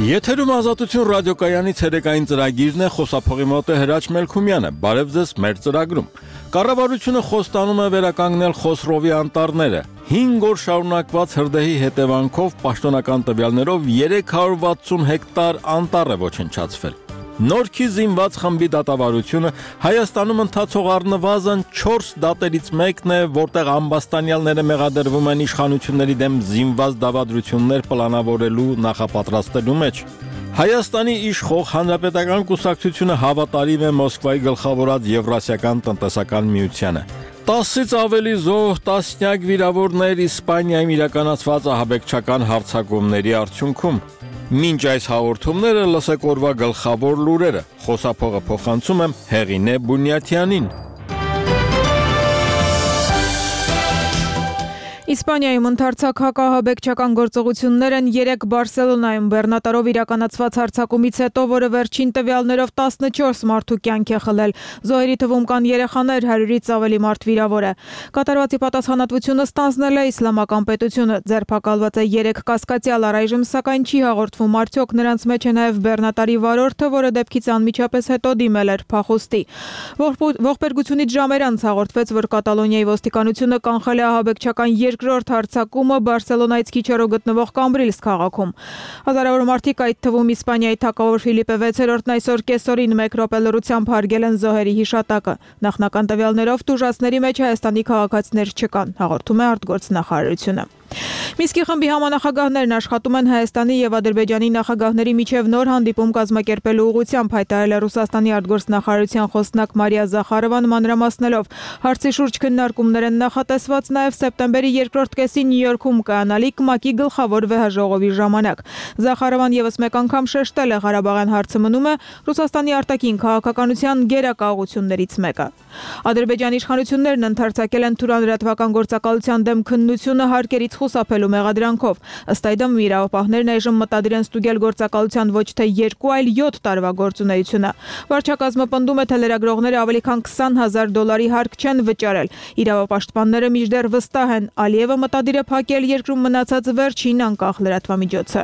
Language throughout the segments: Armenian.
Եթերում Ազատություն ռադիոկայանի ցերեկային ծրագիրն է, խոսափողի մոտ է Հրաչ Մելքումյանը։ Բարև ձեզ մեր ծրագրում։ Կառավարությունը խոստանում է վերականգնել Խոսրովի անտառները։ 5 օր շարունակված հրդեհի հետևանքով պաշտոնական տվյալներով 360 հեկտար անտառ է ոչնչացվել։ Նորքի զինված խմբի դատավարությունը Հայաստանում ընթացող առնվազն 4 դատերից մեկն է, որտեղ ամբաստանյալները մեղադրվում են իշխանությունների դեմ զինված դավադրություններ պլանավորելու նախապատրաստելու մեջ։ Հայաստանի իշխող Հանրապետական կուսակցությունը հավատարիմ է Մոսկվայի գլխավորած Եվրասիական տնտեսական միությանը։ 10-ից ավելի զոհ, տասնյակ վիրավորներ Իսպանիայում իրականացված ահաբեկչական հարձակումների արդյունքում։ Մինչ այս հաղորդումները լսեք օրվա գլխավոր լուրերը։ Խոսափողը փոխանցում եմ Հեղինե Բունյաթյանին։ Իսպանիայում ընթացակ հակահաբեկչական գործողություններ են 3 Բարսելոնայում բեռնատարով իրականացված հարձակումից հետո, որը վերջին տվյալներով 14 մարդու կյանք է խլել։ Զոհերի թվում կան երեխաներ, 100-ից ավելի մարդ վիրավոր է։ Կատարվածի պատասխանատվությունը ստանձնել է Իսլամական պետությունը։ Ձերբակալված է 3 կասկածյալ, առայժմ սակայն չի հաղորդվում արդյոք նրանց մեջ է նաև բեռնատարի վարորդը, որը դեպքից անմիջապես հետո դիմել էր փախուստի։ Ողբերգությունից ժամեր անց հաղորդվեց, որ Կատալոնիայի ոստիկանությունը կանխել է ահաբեկչական երկրորդ հարձակումը Բարսելոնայից քիչ հեռու գտնվող Կամբրիլս քաղաքում։ Հազարավոր մարդիկ, այդ թվում Իսպանիայի թագավոր Ֆիլիպե 6-րդն այսօր կեսօրին 1 րոպե լռությամբ հարգել են զոհերի հիշատակը։ Նախնական տվյալներով տուժածների մեջ Հայաստանի քաղաքացիներ չկան, հաղորդում է արտգործնախարարությունը։ Միսկի խմբի համանախագահներն աշխատում են Հայաստանի եւ Ադրբեջանի նախագահների միջև նոր հանդիպում կազմակերպելու ուղղությամբ, հայտարարել է Ռուսաստանի արտգործնախարարության խոսնակ Մարիա Զախարովան, մանրամասնելով հարցի շուրջ քննարկումներ են նախատեսված նաեւ սեպտեմբերի երկրորդ կեսին Նյու Յորքում կայանալիք ՄԱԿ-ի գլխավոր վեհաժողովի ժամանակ։ Զախարովան եւս մեկ անգամ շեշտել է, Ղարաբաղյան հարցը մնում է Ռուսաստանի արտաքին քաղաքականության գերակաղություններից մեկը։ Ադրբեջանի իշխանություններն ընդարձակել են թուրանլրատվական գործակալության դեմ քննությունը հարկերից խուսափելու մեղադրանքով։ Ըստ այդմ իրավապահներն այժմ մտադիր են ստուգել գործակալության ոչ թե 2, այլ 7 տարվա գործունեությունը։ Վարչակազմը պնդում է, թե լրագրողները ավելի քան $20,000 հարկ չեն վճարել։ Իրավապաշտպանները մինչդեռ վստահ են, Ալիևը մտադիր է փակել երկրում մնացած վերջին անկախ լրատվամիջոցը։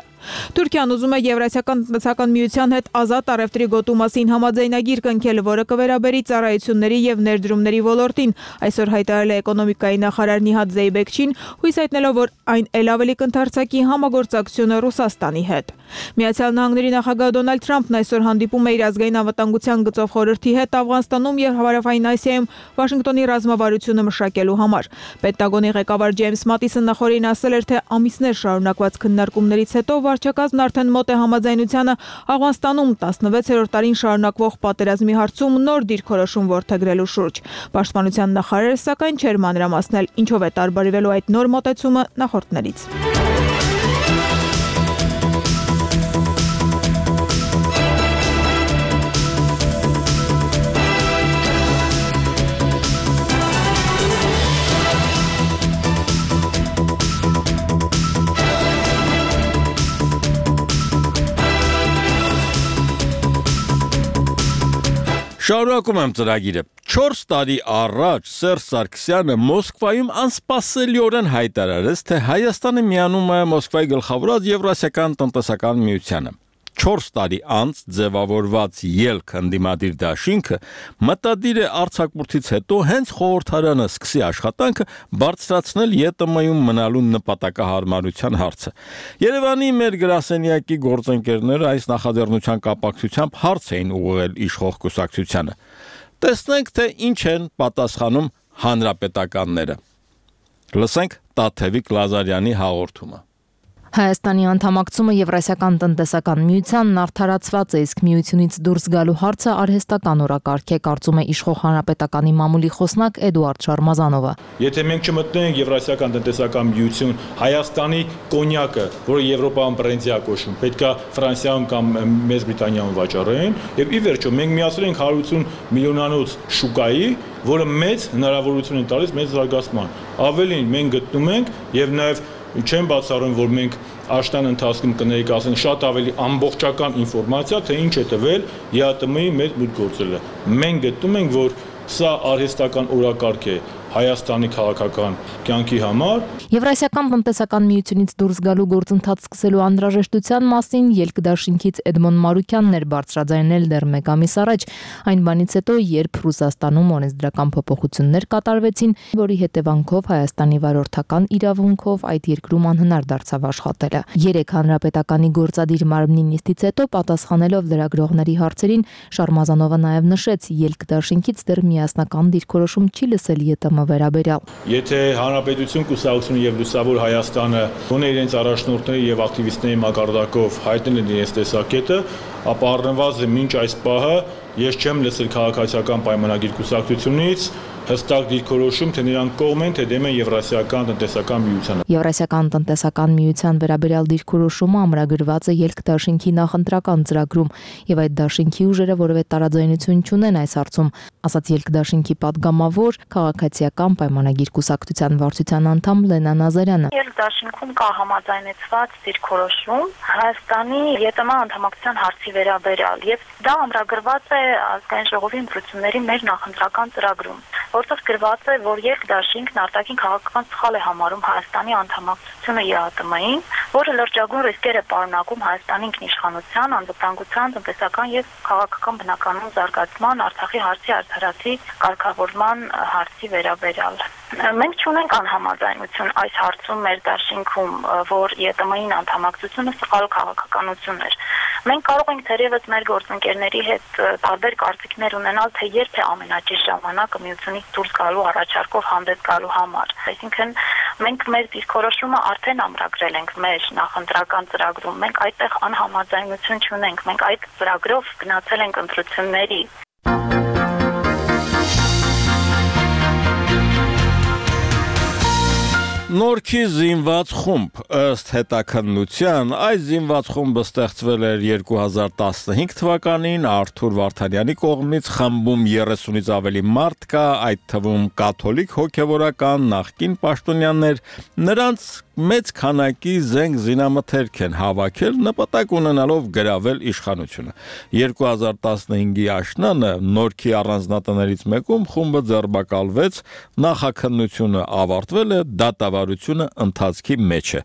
Թուրքիան ուզում է Եվրասիական տնտեսական միության հետ ազատ առևտրի գոտու մասին համաձայնագիր կնքել, որը կվերաբերի ծառայությունների եւ ներդրումների ոլորտին։ Այսօր հայտարարել է էկոնոմիկայի նախարար Նիհադ Զեյբեքչին, հույս հայտնելով, որ այն ել ավելի կընդարձակի համագործակցությունը Ռուսաստանի հետ։ Միացյալ Նահանգների նախագահ Դոնալդ Թրամփն այսօր հանդիպում է իր ազգային անվտանգության գծով խորհրդի հետ Աֆղանստանում եւ Հարավային Ասիայում Վաշինգտոնի ռազմավարությունը մշակելու համար։ Պենտագոնի ղեկավար Ջեյմս Մատիսը նախորդին ասել էր, թե ամիսներ շարունակված քննարկումներից հետո վարչակազմն արդեն մոտ է համաձայնությանը Աֆղանստանում 16-րդ տարին շարունակվող պատերազմի հարցում նոր դիրքորոշում որդեգրելու շուրջ։ Պաշտպանության նախարարը սակայն չէր մանրամասնել, ինչով է տարբերվելու այդ նոր մոտեցումը նախորդներից։ Շարունակում եմ ծրագիրը։ 4 տարի առաջ Սերժ Սարգսյանը Մոսկվայում անսպասելիորեն հայտարարեց, թե Հայաստանը միանում է Մոսկվայի գլխավորած Եվրասիական տնտեսական միությանը։ 4 տարի անց ձևավորված ելք ընդդիմադիր դաշինքը մտադիր է արձակուրդից հետո հենց խորհրդարանը սկսի աշխատանքը բարձրացնել ԵՏՄ-ում մնալու նպատակահարմարության հարցը։ Երևանի մեր գրասենյակի գործընկերները այս նախաձեռնության կապակցությամբ հարց էին ուղղել իշխող կուսակցությանը։ Տեսնենք, թե ինչ են պատասխանում հանրապետականները։ Լսենք Տաթևիկ Լազարյանի հաղորդումը։ Հայաստանի անդամակցումը Եվրասիական տնտեսական միությանն արդարացված է, իսկ միությունից դուրս գալու հարցը արհեստական օրակարգ է, կարծում է իշխող հանրապետականի մամուլի խոսնակ Էդուարդ Շարմազանովը։ Եթե մենք չմտնենք Եվրասիական տնտեսական միություն, Հայաստանի կոնյակը, որը Եվրոպայում բրենդի է կոչվում, պետքա Ֆրանսիայում կամ Մեծ Բրիտանիայում վաճառեն, եւ ի վերջո մենք միացրել ենք 180 միլիոնանոց շուկայի, որը մեծ հնարավորություն է տալիս մեծ զարգացման։ Ավելին մենք գտնում ենք եւ նաեւ չեմ բացառում, որ մենք աշտան ընթացքում կներկայացնենք շատ ավելի ամբողջական ինֆորմացիա, թե ինչ է տվել ԵԱՏՄ-ի մեծ մուտք գործելը։ Մենք գտնում ենք, որ սա արհեստական օրակարգ է Հայաստանի քաղաքական կյանքի համար։ Եվրասիական տնտեսական միությունից դուրս գալու գործընթաց սկսելու անհրաժեշտության մասին ելք դաշինքից Էդմոն Մարուկյանն էր բարձրաձայնել դեռ 1 ամիս առաջ, այն բանից հետո, երբ Ռուսաստանում օրենսդրական փոփոխություններ կատարվեցին, որի հետևանքով Հայաստանի վարորդական իրավունքով այդ երկրում անհնար դարձավ աշխատելը։ 3 հանրապետականի գործադիր մարմնի նիստից հետո պատասխանելով լրագրողների հարցերին, Շարմազանովը նաև նշեց, ելք դաշինքից դեռ միասնական դիրքորոշում չի լսել ԵՏՄ վերաբերյալ։ Եթե Հանրապետություն, Կուսակցություն եւ Լուսավոր Հայաստանը գոնե իրենց առաջնորդների եւ ակտիվիստների մակարդակով հայտնել են իրենց տեսակետը, ապա առնվազն մինչ այս պահը ես չեմ լսել քաղաքացիական պայմանագիր կուսակցությունից հստակ դիրքորոշում, թե նրանք կողմ են, թե դեմ են Եվրասիական տնտեսական միությանը։ Եվրասիական տնտեսական միության վերաբերյալ դիրքորոշումը ամրագրված է ելք դաշինքի նախընտրական ծրագրում, եւ այդ դաշինքի ուժերը որևէ տարաձայնություն չունեն այս հարցում, ասաց ելք դաշինքի падգամավոր քաղաքացիական պայմանագիր կուսակցության վարչության անդամ Լենա Նազարյանը։ Ելք դաշինքում կա համաձայնեցված դիրքորոշում Հայաստանի ԵՏՄ անդամակցության հարցի վերաբերյալ, եւ դա ամրագրված է ազգային ժողովի ընտրությունների մեր նախընտրական ծրագրում, որտեղ գրված է, որ ելք դաշինքն արտաքին քաղաքական սխալ է համարում Հայաստանի անդամակցությունը ԵԱՏՄ-ին, որը լրջագույն ռիսկեր է պարունակում Հայաստանի ինքնիշխանության, անվտանգության, տնտեսական եւ քաղաքական բնականոն զարգացման, Արցախի հարցի արդարացի կարգավորման հարցի վերաբերյալ։ Մենք չունենք անհամաձայնություն այս հարցում մեր դաշինքում, որ ԵՏՄ-ին անդամակցությունը սխալ քաղաքականություն էր։ Մենք կարող ենք թերևս մեր գործընկերների հետ տարբեր կարծիքներ ունենալ, թե երբ է ամենաճիշտ ժամանակը միությունից դուրս գալու առաջարկով հանդես գալու համար։ Այսինքն մենք մեր դիրքորոշումը արդեն ամրագրել ենք մեր նախընտրական ծրագրում։ Մենք այդտեղ անհամաձայնություն չունենք։ Մենք այդ ծրագրով գնացել ենք ընտրությունների։ Նորքի զինված խումբ ըստ հետաքննության այս զինված խումբը ստեղծվել էր 2015 թվականին Արթուր Վարդանյանի կողմից խմբում 30-ից ավելի մարդ կա, այդ թվում կաթոլիկ հոգևորական նախկին պաշտոնյաներ, նրանց մեծ քանակի զենք զինամթերք են հավաքել նպատակ ունենալով գրավել իշխանությունը։ 2015-ի աշնանը Նորքի առանձնատներից մեկում խումբը ձերբակալվեց, նախաքննությունը ավարտվել է, դատավարությունը ընթացքի մեջ է։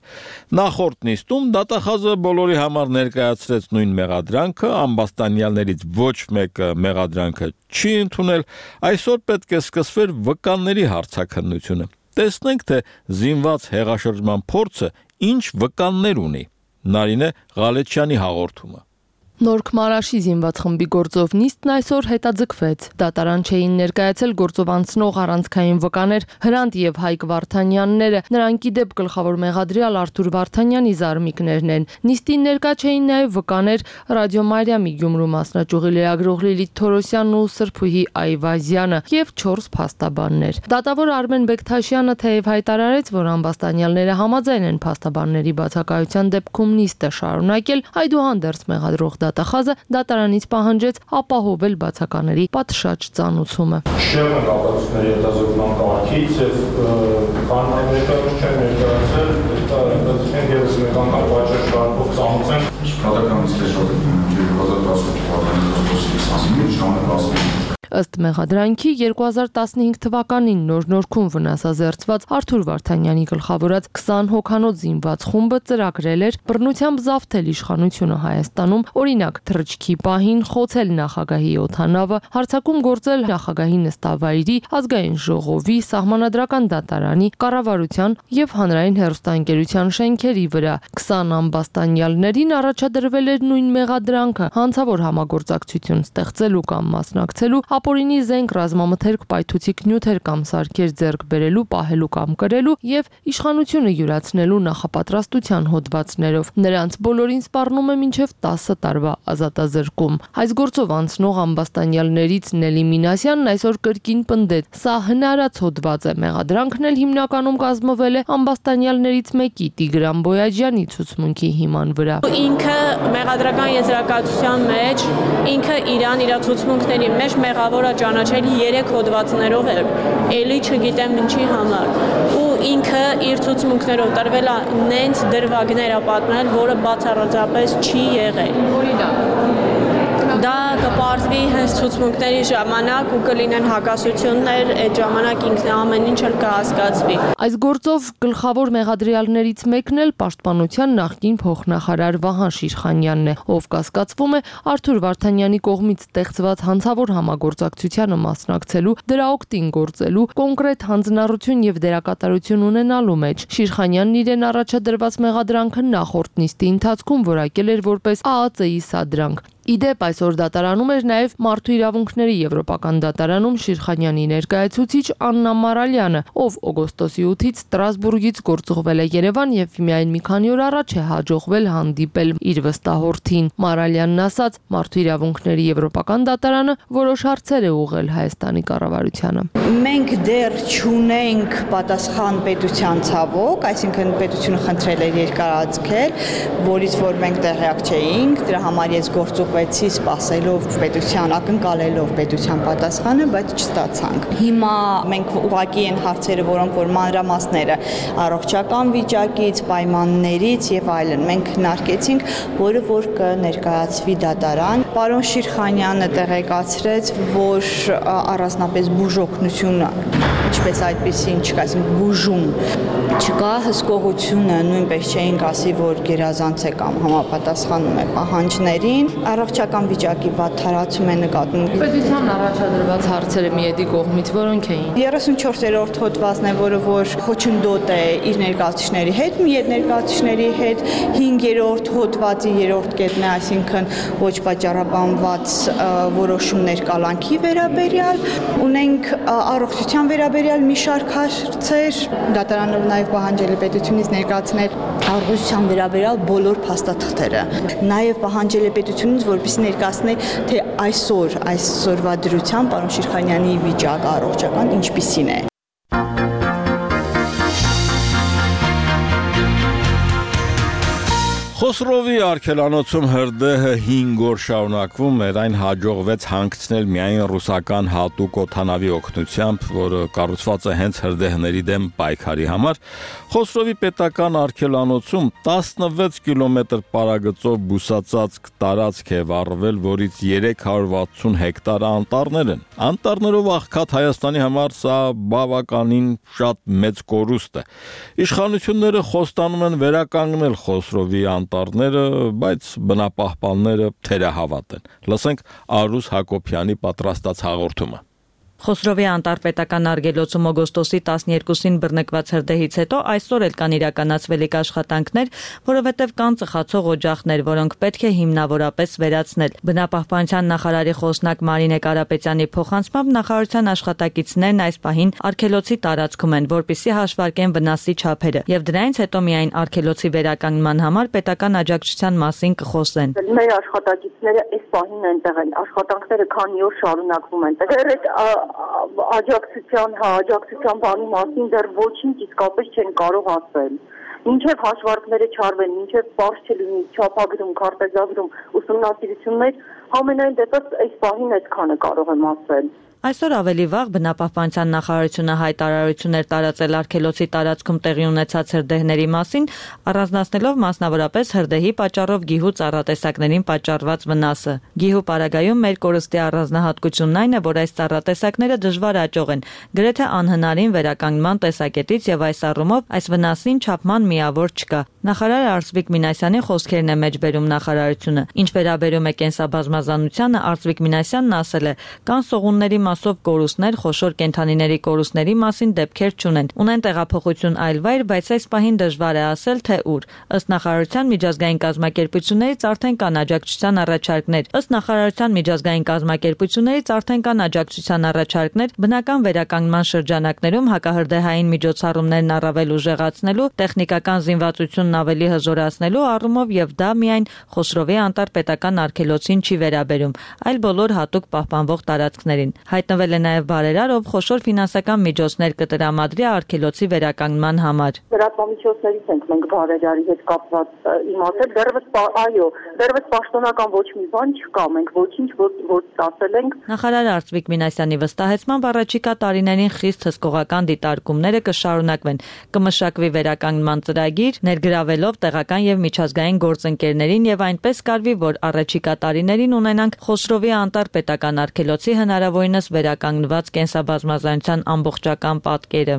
Նախորդ նիստում դատախազը բոլորի համար ներկայացրեց նույն մեղադրանքը, ամբաստանյալներից ոչ մեկը մեղադրանքը չի ընդունել, այսօր պետք է սկսվեր վկանների հարցաքննությունը։ Տեսնենք, թե զինված հեղաշրջման փորձը ինչ վկաններ ունի։ Նարինե Ղալեչյանի հաղորդումը։ Նորք Մարաշի զինված խմբի գործով նիստն այսօր հետաձգվեց։ Դատարան չէին ներկայացել գործով անցնող առանցքային վկաներ Հրանտ եւ Հայկ Վարդանյանները, նրանք ի դեպ գլխավոր մեղադրյալ Արթուր Վարդանյանի զարմիկներն են։ Նիստին ներկա չէին նաեւ վկաներ Ռադիո Մարիամի Գյումրու մասնաճյուղի լրագրող Լիլիթ Թորոսյանն ու Սրփուհի Այվազյանը եւ 4 փաստաբաններ։ Դատավոր Արմեն Բեկթաշյանը թեև հայտարարեց, որ ամբաստանյալները համաձայն են փաստաբանների բացակայության դեպքում նիստը շարունակել, այդուհանդերձ մեղադրող դատախազը դատարանից պահանջեց ապահովել բացակաների պատշաճ ծանուցումը։ Շեղը կապացությունների հետազոտման կարգից եւ կանոնի ներկայացում չեն ներկայացել, դա ընդդեմ եւս մեկ անգամ պատշաճ շարքով ծանուցեն։ Պատականից քեշոտում 2018 թվականին ժամանակ Ըստ մեղադրանքի 2015 թվականին Նոր Նորքում վնասազերծված Արթուր Վարդանյանի գլխավորած 20 հոգանոց զինված խումբը ծրագրել էր բռնությամբ զավթել իշխանությունը Հայաստանում, օրինակ թռչքի պահին խոցել նախագահի օդանավը, հարձակում գործել նախագահի նստավայրի, ազգային ժողովի, սահմանադրական դատարանի, կառավարության եւ հանրային հեռուստաընկերության շենքերի վրա։ 20 ամբաստանյալներին առաջադրվել էր նույն մեղադրանքը՝ հանցավոր համագործակցություն ստեղծելու կամ մասնակցելու, ապօրինի զենք, ռազմամթերք, պայթուցիկ նյութեր կամ սարքեր ձեռք բերելու, պահելու կամ կրելու եւ իշխանությունը յուրացնելու նախապատրաստության հոդվածներով։ Նրանց բոլորին սպառնում է մինչև 10 տարվա ազատազրկում։ Այս գործով անցնող ամբաստանյալներից Նելի Մինասյանն այսօր կրկին պնդեց. սա հնարած հոդված է, մեղադրանքն էլ հիմնականում կազմվել է ամբաստանյալներից մեկի Տիգրան Բոյաջյանի ցուցմունքի հիման վրա։ Ինքը մեղադրական եզրակացության մեջ ինքը իր ցուցմունքների մեջ մեղավորը ճանաչել 3 հոդվածներով է, էլի չգիտեմ ինչի համար։ Ու ինքը իր ցուցմունքներով տրվել է նենց դրվագներ պատմել, որը բացառապես չի եղել։ Դա կպարզվի հենց ցուցմունքների ժամանակ ու կլինեն հակասություններ, այդ ժամանակ ինքն ամեն ինչ էլ կհասկացվի։ Այս գործով գլխավոր մեղադրյալներից մեկն էլ պաշտպանության նախկին փոխնախարար Վահան Շիրխանյանն է, ով կասկածվում է Արթուր Վարդանյանի կողմից ստեղծված հանցավոր համագործակցությանը մասնակցելու, դրա օգտին գործելու, կոնկրետ հանձնառություն եւ դերակատարություն ունենալու մեջ։ Շիրխանյանն իրեն առաջադրված մեղադրանքը նախորդ նիստի ընթացքում որակել էր որպես ԱԱԾ-ի սադրանք։ Իդեպ այսօր դատարանում էր նաև Մարդու իրավունքների եվրոպական դատարանում Շիրխանյանի ներկայացուցիչ Աննա Մարալյանը, ով օգոստոսի 8-ից Ստրասբուրգից գործուղվել է Երևան եւ միայն մի քանի օր առաջ է հաջողվել հանդիպել իր վստահորդին։ Մարալյանն ասաց, Մարդու իրավունքների եվրոպական դատարանը որոշ հարցեր է ուղղել Հայաստանի կառավարությանը։ Մենք դեռ չունենք պատասխան պետության ցավոք, այսինքն պետությունը խնդրել էր երկարաձգել, որից որ մենք տեղյակ չէինք, դրա համար ես գործուղվեցի սպասելով պետության, ակնկալելով պետության պատասխանը, բայց չստացանք։ Հիմա մենք ուղղակի են հարցերը, որոնք որ մանրամասները առողջական վիճակից, պայմաններից եւ այլն մենք քննարկեցինք, որը որ կներկայացվի դատարան։ Պարոն Շիրխանյանը տեղեկացրեց, որ առանձնապես բուժօգնությունը, ինչպես այդպեսին չկա, այսինքն բուժում չկա, հսկողությունը նույնպես չէինք ասի, որ գերազանց է կամ համապատասխանում է պահանջներին, առողջական վիճակի վատթարացում է նկատվում։ Պետության առաջադրված հարցերը միեդի կողմից որոնք էին։ 34-րդ հոդվածն է, որը որ խոչընդոտ է իր ներկայացուցիչների հետ, միեդ ներկայացուցիչների հետ, 5-րդ հոդվածի 3-րդ կետն է, այսինքն ոչ պատճառաբանված որոշումներ կալանքի վերաբերյալ, ունենք առողջության վերաբերյալ մի շարք հարցեր, դատարանը նաև պահանջել է պետությունից ներկայացնել առողջության վերաբերյալ բոլոր փաստաթղթերը։ Նաև պահանջել է պետությունից, որպեսզի ներկայացնի, թե այսօրվա դրությամբ պարոն Շիրխանյանի վիճակը առողջական ինչպիսին է։ Խոսրովի արգելանոցում հրդեհը 5 օր շարունակվում էր, այն հաջողվեց հանգցնել միայն ռուսական հատուկ օդանավի օգնությամբ, որը կառուցված է հենց հրդեհների դեմ պայքարի համար։ Խոսրովի պետական արգելանոցում 16 կիլոմետր պարագծով բուսածածկ տարածք է վառվել, որից 360 հեկտար անտառներ են։ Անտառներով աղքատ Հայաստանի համար սա բավականին շատ մեծ կորուստ է։ Իշխանությունները խոստանում են վերականգնել Խոսրովի անտառները, բայց բնապահպանները թերահավատ են։ Լսենք Արուս Հակոբյանի պատրաստած հաղորդումը։ Խոսրովի անտառպետական արգելոցում օգոստոսի 12-ին բռնկված հրդեհից հետո այսօր էլ կան իրականացվելիք աշխատանքներ, որովհետև կան ծխացող օջախներ, որոնք պետք է հիմնավորապես վերացնել։ Բնապահպանության նախարարի խոսնակ Մարինե Կարապետյանի փոխանցմամբ նախարարության աշխատակիցներն այս պահին արգելոցի տարածքում են, որպեսզի հաշվարկեն վնասի չափերը, եւ դրանից հետո միայն արգելոցի վերականգնման համար պետական աջակցության մասին կխոսեն։ Մեր աշխատակիցները այս պահին այնտեղ են, աշխատանքները քանի օր շարունակվում են։ Աջակցության բանի մասին դեռ ոչինչ իսկապես չեն կարող ասել։ Մինչև հաշվարկները չարվեն, մինչև բարձ չլինի չափագրում, քարտեզագրում, ուսումնասիրություններ, համենայն դեպս այս պահին այդքանը կարող եմ ասել։ Այսօր ավելի վաղ բնապահպանության նախարարությունը հայտարարություն էր տարածել արգելոցի տարածքում տեղի ունեցած հրդեհների մասին, առանձնացնելով մասնավորապես հրդեհի պատճառով գիհու ծառատեսակներին պատճառված վնասը։ Գիհու պարագայում մեր կորստի առանձնահատկությունն այն է, որ այս ծառատեսակները դժվար աճող են, գրեթե անհնարին վերականգնման տեսակետից եւ այս առումով այս վնասին չափման միավոր չկա։ Նախարար Արծվիկ Մինասյանի խոսքերն է մեջբերում նախարարությունը։ Ինչ վերաբերում է կենսաբազմազանությանը, Արծվիկ Մինասյանն ասել է, կան սողունների մասով կորուստներ, խոշոր կենդանիների կորուստների մասին դեպքեր չունեն։ Ունեն տեղափոխություն այլ վայր, բայց այս պահին դժվար է ասել, թե ուր։ Ըստ նախարարության միջազգային կազմակերպություններից արդեն կան աջակցության առաջարկներ։ Ըստ նախարարության միջազգային կազմակերպություններից արդեն կան աջակցության առաջարկներ բնական վերականգնման շրջանակներում հակահրդեհային միջոցառումներն առավել ուժեղացնելու, տեխնիկական զինվածությունն ավելի հզորացնելու առումով եւ դա միայն Խոսրովի անտառպետական արգելոցին չի վերաբերում, այլ բոլոր հատուկ պահպանվող տարածքներին։ Հայտնվել է նաև բարերար, ով խոշոր ֆինանսական միջոցներ կտրամադրի արգելոցի վերականգնման համար։ Լրատվամիջոցներից ենք մենք բարերարի հետ կապված իմացել, դեռևս պաշտոնական ոչ մի բան չկա, մենք ոչինչ ոչ ասել ենք։ Նախարար Արծվիկ Մինասյանի վստահեցմամբ առաջիկա տարիներին խիստ հսկողական դիտարկումները կշարունակվեն, կմշակվի վերականգնման ծրագիր, ներգրավելով տեղական եւ միջազգային գործընկերներին եւ այնպես կարվի, որ առաջիկա տարիներին ունենանք Խոսրովի անտառ պետական արգելոցի հնարավորինս վերականգնված կենսաբազմազանության ամբողջական պատկերը։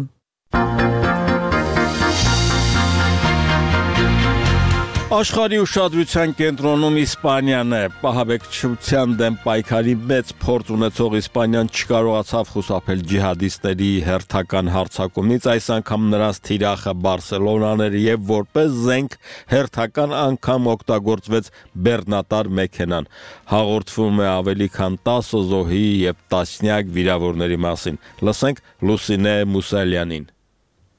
Աշխարհի ուշադրության կենտրոնում Իսպանիան է։ Պահաբեկչության դեմ պայքարի մեծ փորձ ունեցող Իսպանիան չկարողացավ խուսափել ջիհադիստների հերթական հարձակումից, այս անգամ նրանց թիրախը Բարսելոնան էր եւ որպես զենք հերթական անգամ օգտագործվեց բեռնատար մեքենան։ Հաղորդվում է ավելի քան 10 զոհի եւ տասնյակ վիրավորների մասին։ Լսենք Լուսինե Մուսալյանին։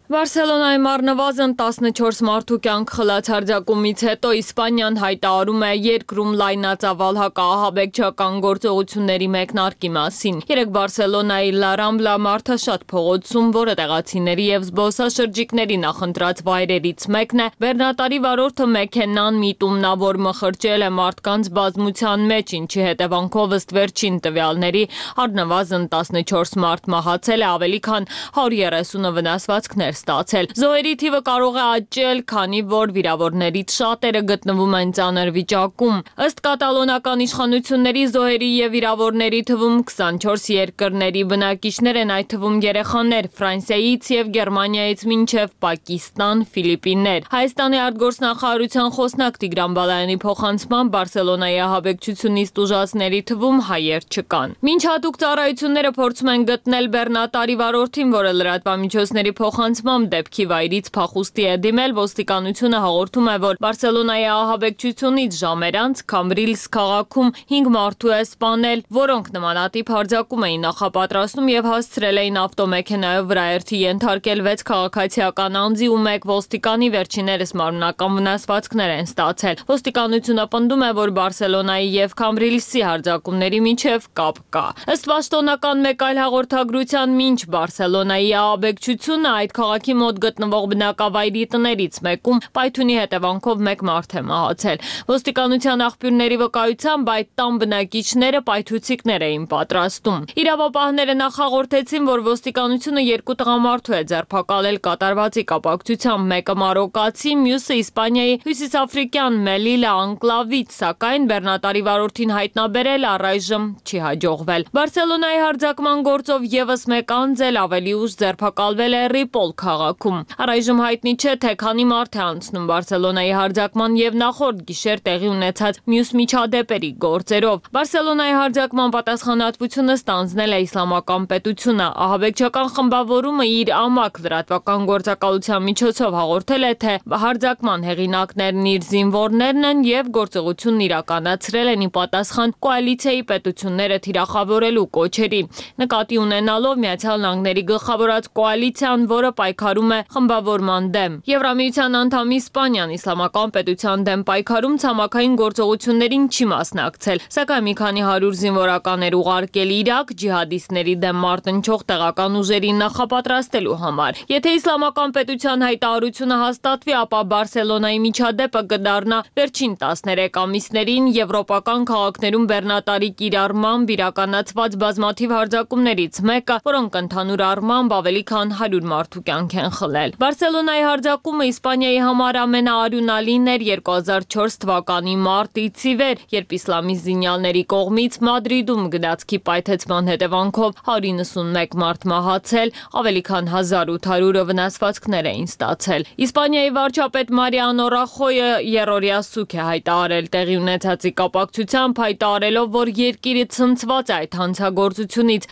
Բարսելոնայում առնվազն 14 մարդու կյանք խլած հարձակումից հետո Իսպանիան հայտարարում է երկրում լայնածավալ հակահաբեկչական գործողությունների մեկնարկի մասին։ Երեկ Բարսելոնայի La Rambla մարդաշատ փողոցում, որը տեղացիների եւ զբոսաշրջիկների նախընտրած վայրերից մեկն է, բեռնատարի վարորդը մեքենան միտումնավոր մխրճել է մարդկանց բազմության մեջ, ինչի հետևանքով ըստ վերջին տվյալների առնվազն 14 մարդ մահացել է, ավելի քան 130-ը վնասվածքներ ստացել։ Զոհերի թիվը կարող է աճել, քանի որ վիրավորներից շատերը գտնվում են ծանր վիճակում։ Ըստ կատալոնական իշխանությունների զոհերի եւ վիրավորների թվում 24 երկրների բնակիչներ են, այդ թվում երեխաներ, Ֆրանսիայից եւ Գերմանիայից մինչեւ Պակիստան, Ֆիլիպիններ։ Հայաստանի արտգործնախարարության խոսնակ Տիգրան Բալայանի փոխանցմամբ Բարսելոնայի ահաբեկչությունից տուժածների թվում հայեր չկան։ Մինչ հատուկ ծառայությունները փորձում են գտնել բեռնատարի վարորդին, որը լրատվամիջոցների փոխանցմամբ դեպքի վայրից փախուստի է դիմել, ոստիկանությունը հաղորդում է, որ Բարսելոնայի ահաբեկչությունից ժամեր անց Քամբրիլս քաղաքում 5 մարդու է սպանել, որոնք նմանատիպ հարձակում էին նախապատրաստում եւ հասցրել էին ավտոմեքենայով վրաերթի ենթարկել 6 քաղաքացիական անձի ու 1 ոստիկանի, վերջիներս մարմնական վնասվածքներ են ստացել։ Ոստիկանությունը պնդում է, որ Բարսելոնայի եւ Քամբրիլսի հարձակումների միջև կապ կա։ Ըստ պաշտոնական մեկ այլ հաղորդագրության, մինչ Բարսելոնայի ահաբեկչությունը այդ քաղաքի մոտ գտնվող բնակավայրի տներից մեկում պայթյունի հետևանքով 1 մարդ է մահացել։ Ոստիկանության աղբյուրների վկայությամբ այդ տան բնակիչները պայթուցիկներ էին պատրաստում։ Իրավապահները նախաղորդեցին, որ ոստիկանությունը 2 տղամարդու է ձերբակալել կատարվածի կապակցությամբ, մեկը մարոկացի, մյուսը Իսպանիայի հյուսիսաֆրիկյան Մելիլա անկլավից, սակայն բեռնատարի վարորդին հայտնաբերել առայժմ չի հաջողվել։ Բարսելոնայի հարձակման գործով եւս 1 անձ էլ ավելի ուշ ձերբակալվել է Ռիպոլ քաղաքում։ Առայժմ հայտնի չէ, թե քանի մարդ է անցնում Բարսելոնայի հարձակման եւ նախորդ գիշեր տեղի ունեցած մյուս միջադեպերի գործերով։ Բարսելոնայի հարձակման պատասխանատվությունը ստանձնել է Իսլամական պետությունը։ Ահաբեկչական խմբավորումը իր ամակ լրատվական գործակալության միջոցով հաղորդել է, թե հարձակման հեղինակներն իր զինվորներն են եւ գործողությունն իրականացրել են ի պատասխան կոալիցիայի պետությունները թիրախավորելու կոչերի։ Նկատի ունենալով Միացյալ Նահանգների գլխավորած կոալիցիան, որը պայքարում է խմբավորման դեմ։ Եվրամիության անդամ Իսպանիան Իսլամական պետության դեմ պայքարում ցամաքային գործողություններին չի մասնակցել, սակայն մի քանի 100 զինվորականներ ուղարկել Իրաք ջիհադիստների դեմ մարտնչող տեղական ուժերին նախապատրաստելու համար։ Եթե Իսլամական պետության հայտարարությունը հաստատվի, ապա Բարսելոնայի միջադեպը կդառնա վերջին 13 ամիսներին եվրոպական քաղաքներում բեռնատարի կիրառմամբ իրականացված բազմաթիվ հարձակումներից մեկը, որոնք ընդհանուր առմամբ ավելի քան 100 մարդու կյանք են խլել։ Բարսելոնայի հարձակումը Իսպանիայի համար ամենաարյունալին էր 2004 թվականի մարտից ի վեր, երբ իսլամիստ զինյալների կողմից Մադրիդում գնացքի պայթեցման հետևանքով 191 մարդ մահացել, ավելի քան 1800-ը վնասվածքներ էին ստացել։ Իսպանիայի վարչապետ Մարիանո Ռախոյը երրորդյա սուք է հայտարարել տեղի ունեցածի կապակցությամբ, հայտարարելով, որ երկիրը ցնցված է այդ հանցագործությունից։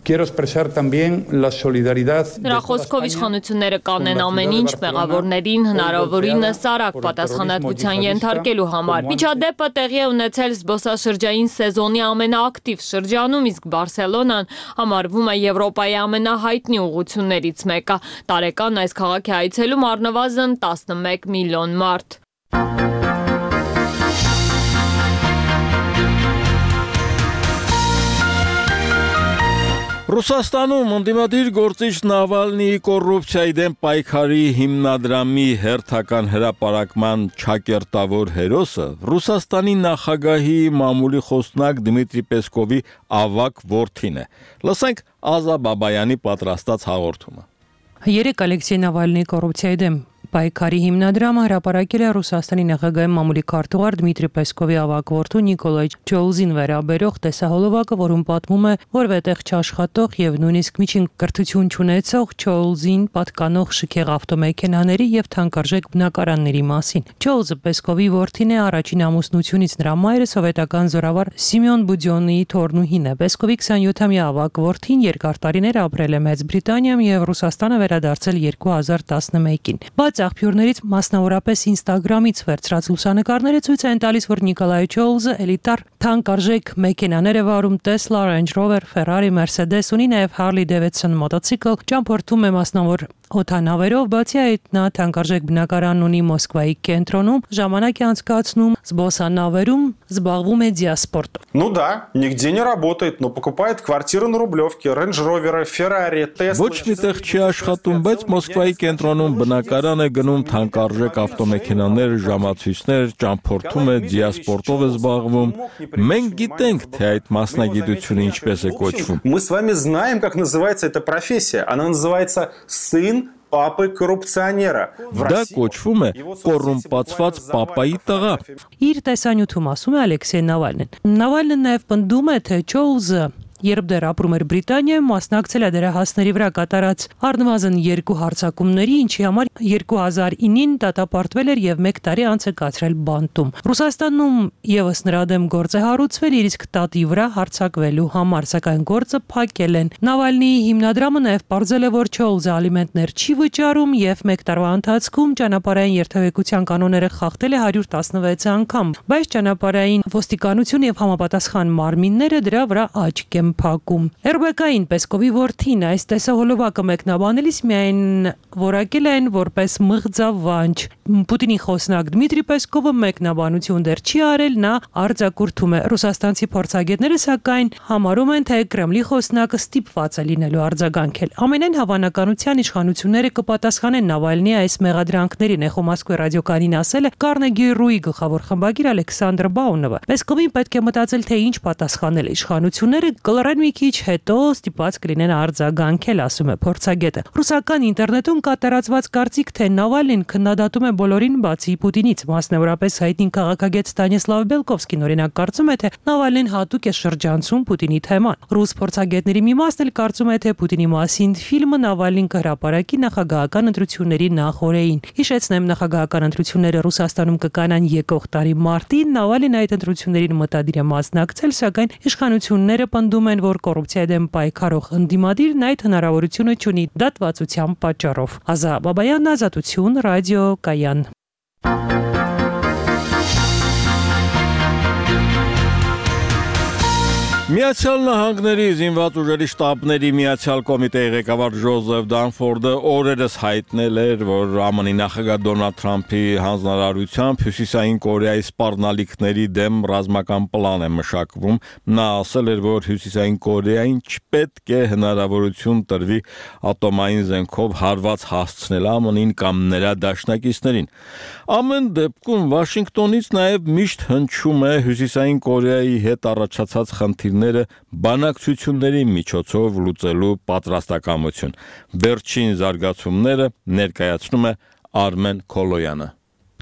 Նրա խոսքով իշխանությունները կանեն ամեն ինչ մեղավորներին հնարավորինս արագ պատասխանատվության ենթարկելու համար։ Միջադեպը տեղի է ունեցել զբոսաշրջային սեզոնի ամենաակտիվ շրջանում, իսկ Բարսելոնան համարվում է Եվրոպայի ամենահայտնի ուղղություններից մեկը։ Տարեկան այս քաղաքի այցելում առնվազն 11 միլիոն մարդ։ Ռուսաստանում ընդդիմադիր գործիչ Նավալնիի կոռուպցիայի դեմ պայքարի հիմնադրամի հերթական հրապարակման ճակերտավոր հերոսը Ռուսաստանի նախագահի մամուլի խոսնակ Դմիտրի Պեսկովի ավագ որդին է։ Լսենք Ազա Բաբայանի պատրաստած հաղորդումը։ Երեք Ալեքսեյ Նավալնիի կոռուպցիայի դեմ պայքարի հիմնադրամը հրապարակել է Ռուսաստանի նախագահի մամուլի քարտուղար Դմիտրի Պեսկովի ավագ որդու Նիկոլայ Չոլզին վերաբերող տեսահոլովակը, որում պատմում է, որ վետեղ չաշխատող եւ նույնիսկ միջին կրթություն չունեցող Չոլզին պատկանող շքեղ ավտոմեքենաների եւ թանկարժեք բնակարանների մասին։ Չոլզը Պեսկովի որդին է, առաջին ամուսնությունից նրա մայրը սովետական զորավար Սիմեոն Բուդյոնիի թորնուհին է։ Պեսկովի 27-ամյա ավագ որդին երկար տարիներ ապրել է Մեծ Բրիտանիայում եւ Ռուսաստանը վերադարձել 2011-ին։ Բայց աղբյուրներից մասնավորապես Instagram-ից վերցրած լուսանկարները ցույց են տալիս, որ Նիկոլայ Չոլզը էլիտար թանկարժեք մեքենաներ է վարում, Tesla, Range Rover, Ferrari, Mercedes, ունի նաև Harley Davidson մոտոցիկլ, ճամփորդում է մասնավոր օդանավերով, բացի այդ նա թանկարժեք բնակարան ունի Մոսկվայի կենտրոնում, ժամանակ է անցկացնում զբոսանավերում, զբաղվում է դիասպորտով։ Ну да, нигде не работает, но покупает квартиры на Рублевке, Range Rover, Ferrari, Tesla. Ոչ միտեղ չի աշխատում, բայց Մոսկվայի կենտրոնում բնակարան է գնում, թանկարժեք ավտոմեքենաներ, ժամացույցներ, ճամփորդում է, դիասպորտով է զբաղվում։ Մենք գիտենք, թե այդ մասնագիտությունը ինչպես է կոչվում։ Мы с вами знаем, как называется эта профессия. Она называется сын папы коррупционера. Դա կոչվում է կոռումպացված պապայի տղա։ Իր տեսանյութում ասում է Ալեքսեյ Նավալնին։ Նավալնին նաև պնդում է, թե Չոլզը երբ դեռ ապրում էր Բրիտանիայում, մասնակցել է դերահասների վրա կատարած առնվազն 2 հարձակումների, ինչի համար 2009-ին դատապարտվել էր եւ 1 տարի անց է կացրել բանտում։ Ռուսաստանում եւս նրա դեմ գործ է հարուցվել իր իսկ տատի վրա հարձակվելու համար, սակայն գործը փակել են։ Նավալնիի հիմնադրամը նաեւ պարզել է, որ Չոլզը ալիմենտներ չի վճարում եւ 1 տարվա ընթացքում ճանապարհային երթևեկության կանոնները խախտել է 116 անգամ, բայց ճանապարհային ոստիկանություն եւ համապատասխան մարմինները դրա վրա աչք են փակում։ RBK-ին Պեսկովի որդին այս տեսահոլովակը մեկնաբանելիս միայն որակել են որպես մղձավանջ։ Պուտինի խոսնակ Դմիտրի Պեսկովը մեկնաբանություն դեռ չի արել, նա արձակուրդում է։ Ռուսաստանցի փորձագետները սակայն համարում են, թե Կրեմլի խոսնակը ստիպված է լինելու արձագանքել։ Ամենայն հավանականության իշխանությունները կպատասխանեն Նավալնիի այս մեղադրանքներին, է Մոսկվայի ռադիոկայանին ասել է Carnegie Rui գլխավոր խմբագիր Ալեքսանդր Բաունովը։ Պեսկովին պետք է մտածել, թե ինչ պատասխանել իշխանությունները կլռեն մի քիչ հետո ստիպված կլինեն արձագանքել, ասում է փորձագետը։ Ռուսական ինտերնետում կա տարածված կարծիք, թե Նավալնին քննադատում է բոլորին բացի Պուտինից, մասնավորապես հայտնի քաղաքագետ Ստանիսլավ Բելկովսկին օրինակ կարծում է, թե Նավալնին հատուկ է շրջանցում Պուտինի թեման։ Ռուս փորձագետների մի մասն էլ կարծում է, թե Պուտինի մասին ֆիլմը Նավալնին կհրապարակի նախագահական ընտրությունների նախօրեին։ Հիշեցնեմ, նախագահական ընտրությունները Ռուսաստանում կկանան եկող տարի մարտին, Նավալին այդ ընտրություններին մտադիր է մասնակցել, սակայն իշխանությունները պնդում են, որ կոռուպցիայի դեմ պայքարող ընդդիմադիրն այդ հնարավորությունը չունի դատվածության պատճառով։ Ազա Բաբայան, Ազատություն, ռադիո Կայան։ Միացյալ Նահանգների զինված ուժերի շտաբների միացյալ կոմիտեի ղեկավար Ջոզեֆ Դանֆորդը օրերս հայտնել էր, որ ԱՄՆ-ի նախագահ Դոնալդ Թրամփի հանձնարարությամբ Հյուսիսային Կորեայի սպառնալիքների դեմ ռազմական պլան է մշակվում։ Նա ասել էր, որ Հյուսիսային Կորեային չպետք է հնարավորություն տրվի ատոմային զենքով հարված հասցնել ԱՄՆ-ին կամ նրա դաշնակիցներին։ Ամեն դեպքում Վաշինգտոնից նաև միշտ հնչում է Հյուսիսային Կորեայի հետ առաջացած խնդիրները բանակցությունների միջոցով լուծելու պատրաստակամություն։ Վերջին զարգացումները ներկայացնում է Արմեն Քոլոյանը։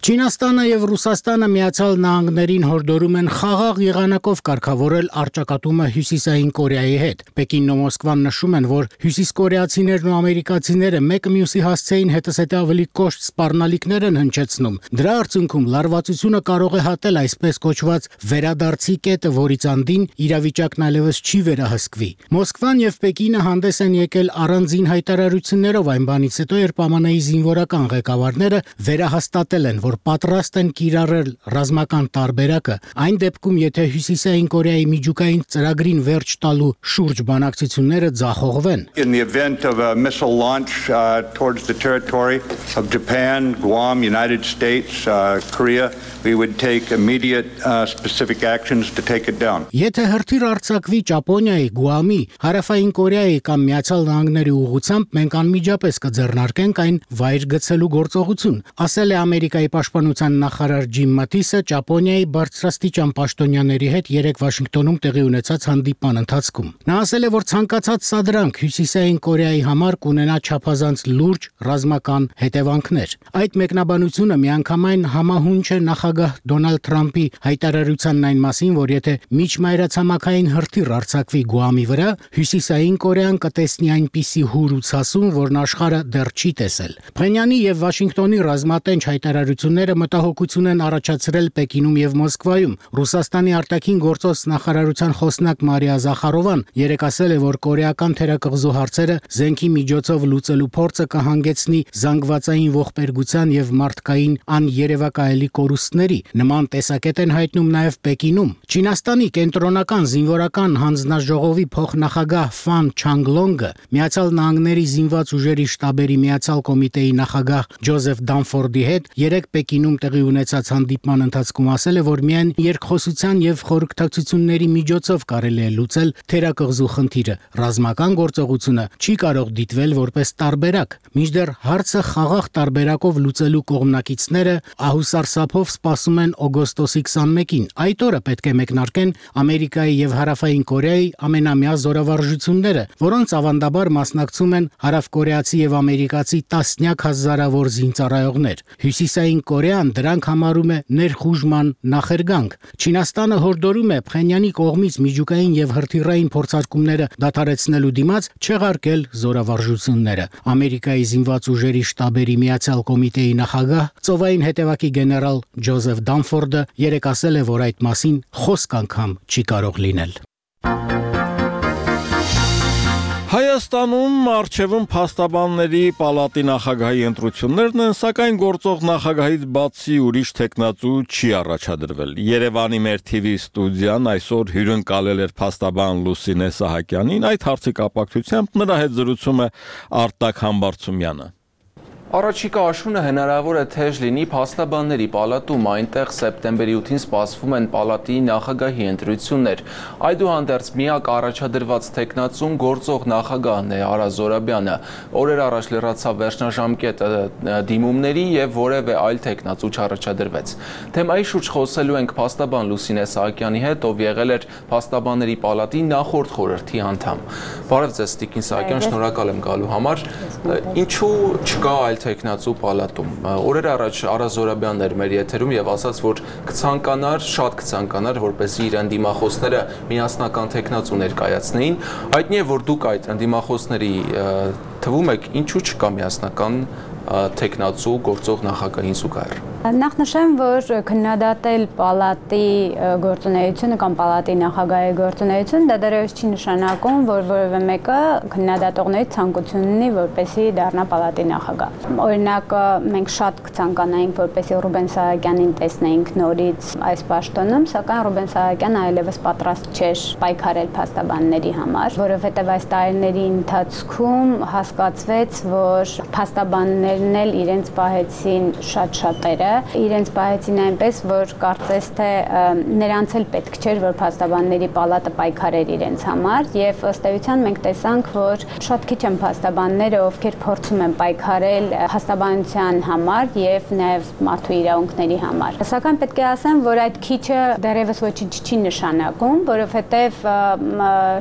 Չինաստանը եւ Ռուսաստանը Միացյալ Նահանգներին հորդորում են խաղաղ եղանակով կարգավորել առճակատումը Հյուսիսային Կորեայի հետ։ Պեկինն ու Մոսկվան նշում են, որ հյուսիսկորեացիներն ու ամերիկացիները մեկը մյուսի հասցեին հետզհետե ավելի կոշտ սպառնալիքներ են հնչեցնում։ Դրա արդյունքում լարվածությունը կարող է հատել այսպես կոչված վերադարձի կետը, որից անդին իրավիճակն այլևս չի վերահսկվի։ Մոսկվան եւ Պեկինը հանդես են եկել առանձին հայտարարություններով այն բանից հետո, երբ ԱՄՆ-ի զինվորական ղեկավարները վերահաստատել են, որ որ պատրաստ են կիրառել ռազմական տարբերակը, այն դեպքում, եթե Հյուսիսային Կորեայի միջուկային ծրագրին վերջ տալու շուրջ բանակցությունները ձախողվեն։ In the event of a missile launch towards the territory of Japan, Guam, United States, Korea, we would take immediate specific actions to take it down. Եթե հրթիռ արձակվի Ճապոնիայի, Գուամի, Հարավային Կորեայի կամ Միացյալ Նահանգների ուղղությամբ, մենք անմիջապես կձեռնարկենք այն վայր գցելու գործողություն, ասել է Ամերիկայի պաշտպանության նախարար Ջիմ Մաթիսը Ճապոնիայի բարձրաստիճան պաշտոնյաների հետ երեկ Վաշինգտոնում տեղի ունեցած հանդիպման ընթացքում։ Նա ասել է, որ ցանկացած սադրանք Հյուսիսային Կորեայի համար կունենա չափազանց լուրջ ռազմական հետևանքներ։ Այդ մեկնաբանությունը միանգամայն համահունչ է նախագահ Դոնալդ Թրամփի հայտարարությանն այն մասին, որ եթե միջմայրացամաքային հրթիռ արձակվի Գուամի վրա, Հյուսիսային Կորեան կտեսնի այնպիսի հուր ու ցասում, որն աշխարհը դեռ չի տեսել։ Փենյանի եւ Վաշինգտոնի ռազմատենչ հայտարարությունները մտահոգություն են առաջացրել Պեկինում եւ Մոսկվայում։ Ռուսաստանի արտաքին գործոս նախարարության խոսնակ Մարիա Զախարովան երեկ ասել է, որ կորեական թերակղզու հարցերը զենքի միջոցով լուծելու փորձը կհանգեցնի զանգվածային ողբերգության եւ մարդկային աներևակայելի կորուստների։ Նման տեսակետ են հայտնում նաեւ Պեկինում։ Չինաստանի կենտրոնական զինվորական հանձնաժողովի փոխնախագահ Ֆան Չանգլոնգը Միացյալ Նահանգների զինված ուժերի շտաբերի Միացյալ կոմիտեի նախագահ Ջոզեֆ Դանֆորդի հետ երեկ Պեկինում տեղի ունեցած հանդիպման ընթացքում ասել է, որ միայն երկխոսության եւ խորհրդակցությունների միջոցով կարելի է լուծել թերակղզու խնդիրը։ Ռազմական գործողությունը չի կարող դիտվել որպես տարբերակ։ Մինչդեռ հարցը խաղաղ տարբերակով լուծելու կողմնակիցները ահուսարսափով սպասում են օգոստոսի 21-ին։ Այդ օրը պետք է մեկնարկեն Ամերիկայի եւ Հարավային Կորեայի ամենամյա զորավարժությունները, որոնց ավանդաբար մասնակցում են հարավկորեացի եւ ամերիկացի տասնյակ հազարավոր զինծառայողներ։ Հյուսիսային Կորեան դրանք համարում է ներխուժման նախերգանք։ Չինաստանը հորդորում է Փենյանի կողմից միջուկային եւ հրթիռային փորձարկումները դադարեցնելու դիմաց չեղարկել զորավարժությունները։ Ամերիկայի զինված ուժերի շտաբերի Միացյալ կոմիտեի նախագահ ծովային հետևակի գեներալ Ջոզեֆ Դանֆորդը երեկ ասել է, որ այդ մասին խոսք անգամ չի կարող լինել։ Հայաստանում արչևում փաստաբանների պալատի նախագահի ընտրություններն են, սակայն գործող նախագահից բացի ուրիշ տեխնացու չի առաջադրվել։ Երևանի մեր TV ստուդիան այսօր հյուրընկալել էր փաստաբան Լուսինե Սահակյանին, այդ հարցի կապակցությամբ նրա հետ զրուցում է Արտակ Համբարձումյանը։ Առաջիկա աշունը հնարավոր է թեժ լինի փաստաբանների պալատում, այնտեղ սեպտեմբերի 8-ին սպասվում են պալատի նախագահի ընտրություններ։ Այդուհանդերձ միակ առաջադրված տեխնացուն գործող նախագահն է Արա Զորաբյանը։ Օրեր առաջ լրացավ վերջնաժամկետը դիմումների եւ որևէ այլ տեխնացու չառաջադրվեց։ Թեմայի շուրջ խոսելու ենք փաստաբան Լուսինե Սահակյանի հետ, ով եղել էր փաստաբանների պալատի նախորդ խորհրդի անդամ։ Բարև ձեզ, Տիկին Սահակյան, շնորհակալ եմ գալու համար։ Ինչու չկա այլ տեխնացու պալատում։ Օրեր առաջ Արա Զորաբյանն էր մեր եթերում եւ ասաց, որ շատ կցանկանար, որպեսզի իր ընդդիմախոսները միասնական տեխնացու ներկայացնեին։ Հայտնի է, որ դուք այդ ընդդիմախոսների թվում եք, ինչու չկա միասնական տեխնացու գործող նախագահին զուգահեռ։ Նախ նշեմ, որ քննադատել պալատի գործունեությունը կամ պալատի նախագահի գործունեությունը դա դեռևս չի նշանակում, որ որևէ մեկը քննադատողներից ցանկություն ունի, որպեսզի դառնա պալատի նախագահ։ Օրինակ, մենք շատ կցանկանայինք, որպեսզի Ռուբեն Սահակյանին տեսնեինք նորից այս պաշտոնում, սակայն Ռուբեն Սահակյանը այլևս պատրաստ չէր պայքարել փաստաբանների համար, որովհետև այս տարիների ընթացքում հասկացվեց, որ փաստաբաններն էլ իրենց պահեցին շատերը, իրենց պահեցին այնպես, որ կարծես թե նրանց էլ պետք չէր, որ փաստաբանների պալատը պայքարեր իրենց համար, եւ ըստ էության մենք տեսանք, որ շատ քիչ են փաստաբանները, ովքեր փորձում են պայքարել փաստաբանության համար եւ նաեւ մարդու իրավունքների համար։ Սակայն պետք է ասեմ, որ այդ քիչը դեռևս ոչինչ չի նշանակում, որովհետեւ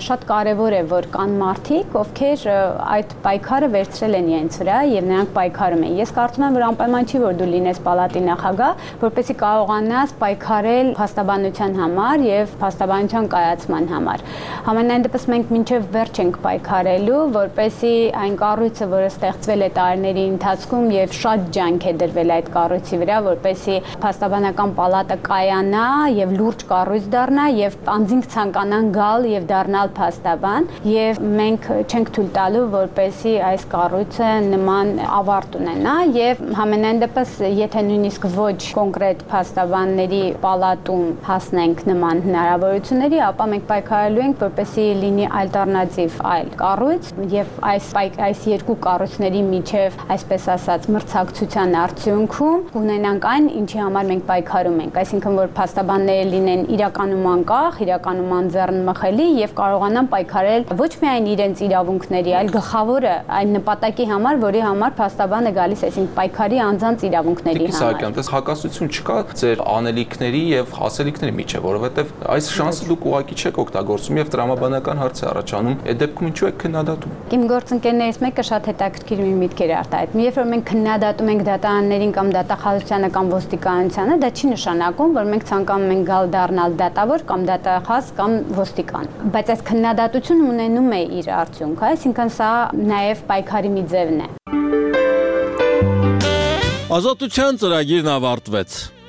շատ կարեւոր է, որ կան մարդիկ, ովքեր այդ պայքարը վերցրել են իրենց վրա եւ նրանք պայքարում են։ Ես կարծում եմ, որ անպայման չի, որ դու լինես պալատի նախագահ, որպեսզի կարողանաս պայքարել փաստաբանության համար եւ փաստաբանության կայացման համար։ Համենայն դեպս մենք մինչեւ վերջ ենք պայքարելու, որպեսզի այն կառույցը, որը ստեղծվել է տարիների ընթացքում եւ շատ ջանք է դրվել այդ կառույցի վրա, որպեսզի փաստաբանական պալատը կայանա եւ լուրջ կառույց դառնա եւ անձինք ցանկանան գալ եւ դառնալ փաստաբան, եւ մենք չենք թույլ տալու, որպեսզի այս կառույցը նման ավարտ ունենա եւ համենայն դեպս եթե նույնիսկ իսկ ոչ կոնկրետ փաստաբանների պալատում հասնենք նման հնարավորությունների, ապա մենք պայքարելու ենք, որպեսզի լինի ալտերնատիվ այլ կառույց եւ այս երկու կառույցների միջև, այսպես ասած, մրցակցության արդյունքում ունենանք այն, ինչի համար մենք պայքարում ենք, այսինքն որ փաստաբանները լինեն իրականում անկախ, իրականում անձեռնմխելի եւ կարողանան պայքարել ոչ միայն իրենց իրավունքների, այլ գլխավորը այն նպատակի համար, որի համար փաստաբանը գալիս, այսինքն պայքարի անձանց իրավունքների համար։ Այս հակասություն չկա ձեր անելիքների եւ հասելիքների միջեւ, որովհետեւ այս շանսը դուք ուղղակի չեք օգտագործում եւ տրամաբանական հարց է առաջանում, այդ դեպքում ինչու եք քննադատում։ Իմ գործընկերներից մեկը շատ հետաքրքիր մի միտք էր արտահայտում։ Երբ որ մենք քննադատում ենք դատաաններին կամ դատախազությանը կամ ոստիկանությանը, դա չի նշանակում, որ մենք ցանկանում ենք գալ դառնալ դատավոր կամ դատախազ կամ ոստիկան։ Բայց այս քննադատությունը ունենում է իր արդյունքը, այսինքն սա նաեւ պայքարի մի ձևն է։ Ազատության ծրագիրն ավարտվեց։